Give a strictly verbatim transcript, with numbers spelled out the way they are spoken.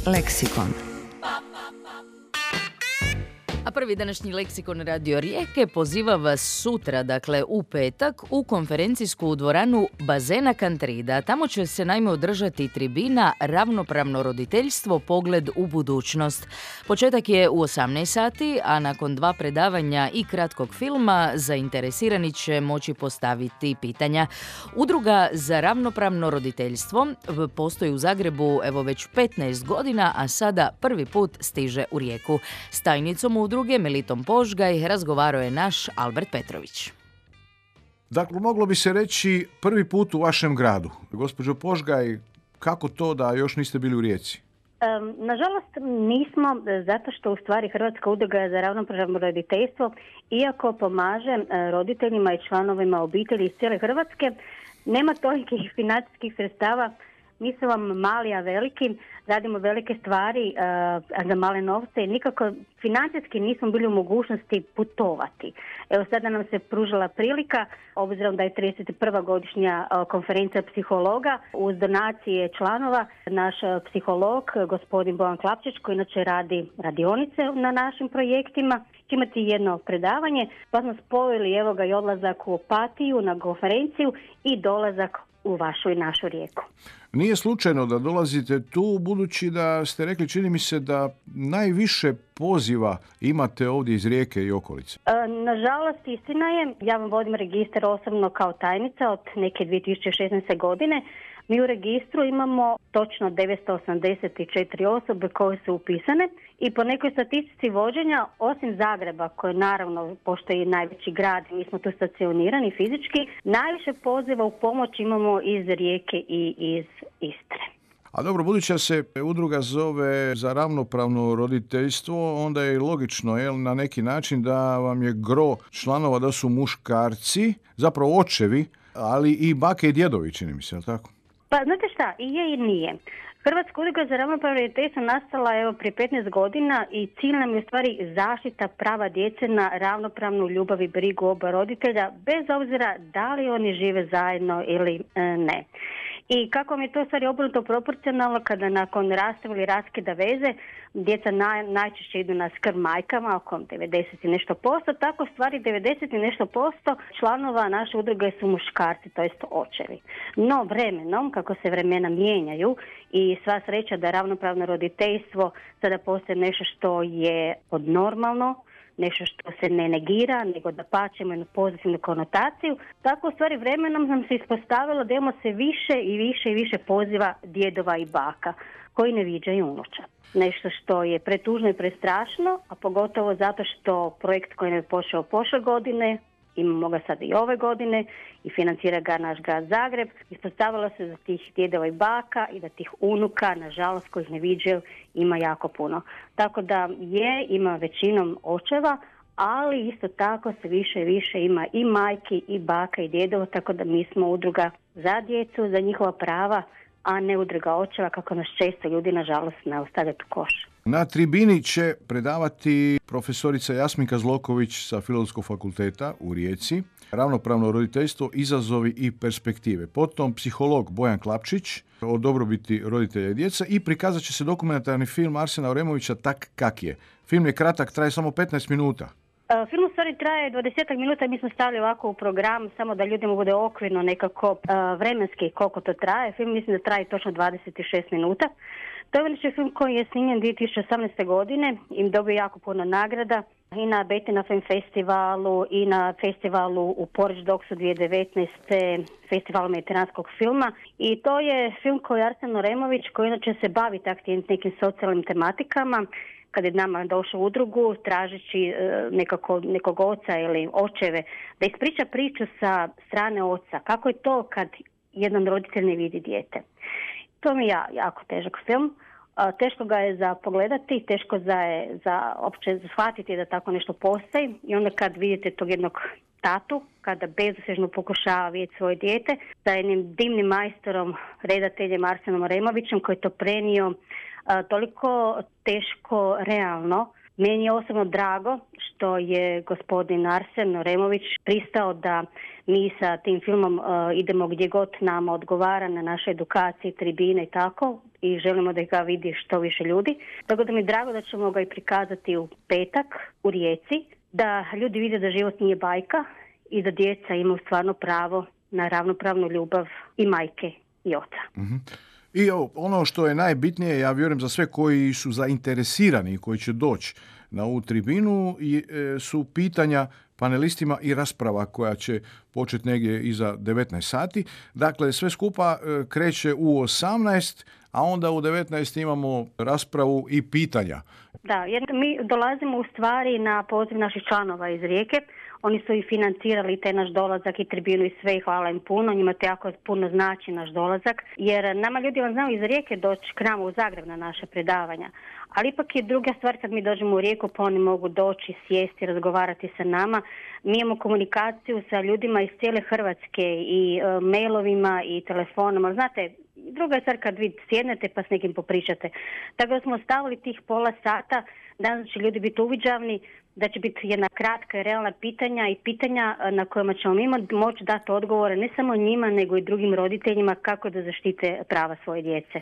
Leksikon. A prvi današnji leksikon Radio Rijeke poziva vas sutra, dakle u petak, u konferencijsku dvoranu Bazena Kantrida. Tamo će se naime održati tribina Ravnopravno roditeljstvo, pogled u budućnost. Početak je u osamnaest sati, a nakon dva predavanja i kratkog filma zainteresirani će moći postaviti pitanja. Udruga za ravnopravno roditeljstvo postoji u Zagrebu evo već petnaest godina, a sada prvi put stiže u Rijeku. S tajnicom udruge Melitom Požgaj razgovarao je naš Albert Petrović. Dakle, moglo bi se reći prvi put u vašem gradu. Gospođo Požgaj, kako to da još niste bili u Rijeci? Um, nažalost nismo, zato što u stvari Hrvatska udruga za ravnopravno roditeljstvo, iako pomaže roditeljima i članovima obitelji iz cijele Hrvatske, nema tolikih financijskih sredstava. Mi smo vam mali, a veliki, radimo velike stvari uh, za male novce i nikako financijski nismo bili u mogućnosti putovati. Evo sada nam se pružila prilika, obzirom da je trideset prva godišnja uh, konferencija psihologa, uz donacije članova, naš uh, psiholog, gospodin Bojan Klapčić, koji inače radi radionice na našim projektima, će imati jedno predavanje, pa smo spojili evo ga i odlazak u Opatiju na konferenciju i dolazak u vašu i našu Rijeku. Nije slučajno da dolazite tu, budući da ste rekli, čini mi se da najviše poziva imate ovdje iz Rijeke i okolice. E, nažalost, istina je, ja vam vodim registar osobno kao tajnica od neke dvije tisuće šesnaeste. godine. Mi u registru imamo točno devetsto osamdeset četiri osobe koje su upisane i po nekoj statistici vođenja, osim Zagreba, koje naravno, pošto je najveći grad, mi smo tu stacionirani fizički, najviše poziva u pomoć imamo iz Rijeke i iz Istre. A dobro, budući da se udruga zove za ravnopravno roditeljstvo, onda je logično, jel, na neki način da vam je gro članova da su muškarci, zapravo očevi, ali i bake i djedovi, čini mi se, jel tako? Pa znate šta, i je i nije. Hrvatska udruga za ravnopravno roditeljstvo nastala evo prije petnaest godina i cilj nam je u stvari zaštita prava djece na ravnopravnu ljubav i brigu oba roditelja, bez obzira da li oni žive zajedno ili e, ne. I kako vam je to u stvari obrnuto proporcionalno kada nakon rastava ili raskida veze djeca naj, najčešće idu na skrb majkama, oko devedeset i nešto posto, tako stvari devedeset i nešto posto članova naše udruge su muškarci, to jest očevi. No vremenom, kako se vremena mijenjaju i sva sreća da ravnopravno roditeljstvo sada postaje nešto što je podnormalno, nešto što se ne negira, nego da pačemo jednu pozitivnu konotaciju. Tako u stvari vremenom nam se ispostavilo da imamo se više i više i više poziva djedova i baka koji ne viđaju unuča. Nešto što je pretužno i prestrašno, a pogotovo zato što projekt koji je počeo prošle godine, imamo ga sad i ove godine i financira ga naš grad Zagreb, ispostavilo se da tih djedova i baka i da tih unuka, nažalost, kojih ne viđaju, ima jako puno. Tako da je, ima većinom očeva, ali isto tako se više i više ima i majki i baka i djedova, tako da mi smo udruga za djecu, za njihova prava, a ne udruga očeva, kako nas često ljudi, nažalost, ne ostavljaju u koš. Na tribini će predavati profesorica Jasminka Zloković sa Filozofskog fakulteta u Rijeci, ravnopravno roditeljstvo, izazovi i perspektive. Potom psiholog Bojan Klapčić o dobrobiti roditelja i djeca i prikazat će se dokumentarni film Arsena Oremovića Tak kak je. Film je kratak, traje samo petnaest minuta. Film u stvari traje dvadeset minuta, mi smo stavili ovako u program, samo da ljudima bude okvirno nekako uh, vremenski koliko to traje. Film mislim da traje točno dvadeset šest minuta. To je inače film koji je snimljen dvije tisuće osamnaeste. godine i dobio jako puno nagrada i na Betina Film Festivalu i na festivalu u Porridge Dogsu dvije tisuće devetnaeste. festivalu mediteranskog filma. I to je film koji je Arsen Oremović, koji inače se bavi takvim nekim socijalnim tematikama. Kad je nama došao u udrugu, tražeći e, nekako, nekog oca ili očeve, da ispriča priču sa strane oca. Kako je to kad jedan roditelj ne vidi dijete. To mi je ja, jako težak film. E, teško ga je za pogledati, teško za, je, za opće shvatiti da tako nešto postoji. I onda kad vidite tog jednog tatu, kada bezuspješno pokušava vidjeti svoje dijete, sa jednim dimnim majstorom, redateljem Arsenom Oremovićem, koji je to prenio a, toliko teško, realno, Meni je osobno drago što je gospodin Arsen Remović pristao da mi sa tim filmom uh, idemo gdje god nama odgovara na našoj edukaciji, tribine i tako, i želimo da ga vidi što više ljudi. Tako da mi je drago da ćemo ga i prikazati u petak u Rijeci, da ljudi vide da život nije bajka i da djeca imaju stvarno pravo na ravnopravnu ljubav i majke i oca. Mm-hmm. I ono što je najbitnije, ja vjerujem za sve koji su zainteresirani i koji će doći na ovu tribinu, su pitanja panelistima i rasprava koja će početi negdje iza devetnaest sati. Dakle, sve skupa kreće u osamnaest, a onda u devetnaest imamo raspravu i pitanja. Da, jer mi dolazimo u stvari na poziv naših članova iz Rijeke. Oni su i financirali taj naš dolazak i tribinu i sve, i hvala im puno. Njima to jako puno znači naš dolazak, jer nama ljudi vam znaju iz Rijeke doći k nama u Zagreb na naše predavanja. Ali ipak je druga stvar kad mi dođemo u Rijeku, pa oni mogu doći, sjesti, razgovarati sa nama. Mi imamo komunikaciju sa ljudima iz cijele Hrvatske i e, mailovima i telefonom. Ali znate, druga je stvar kad vi sjednete pa s nekim popričate. Tako da smo stavili tih pola sata, danas će ljudi biti uviđavni, da će biti jedna kratka i realna pitanja i pitanja na kojima ćemo mi moći dati odgovore ne samo njima, nego i drugim roditeljima kako da zaštite prava svoje djece.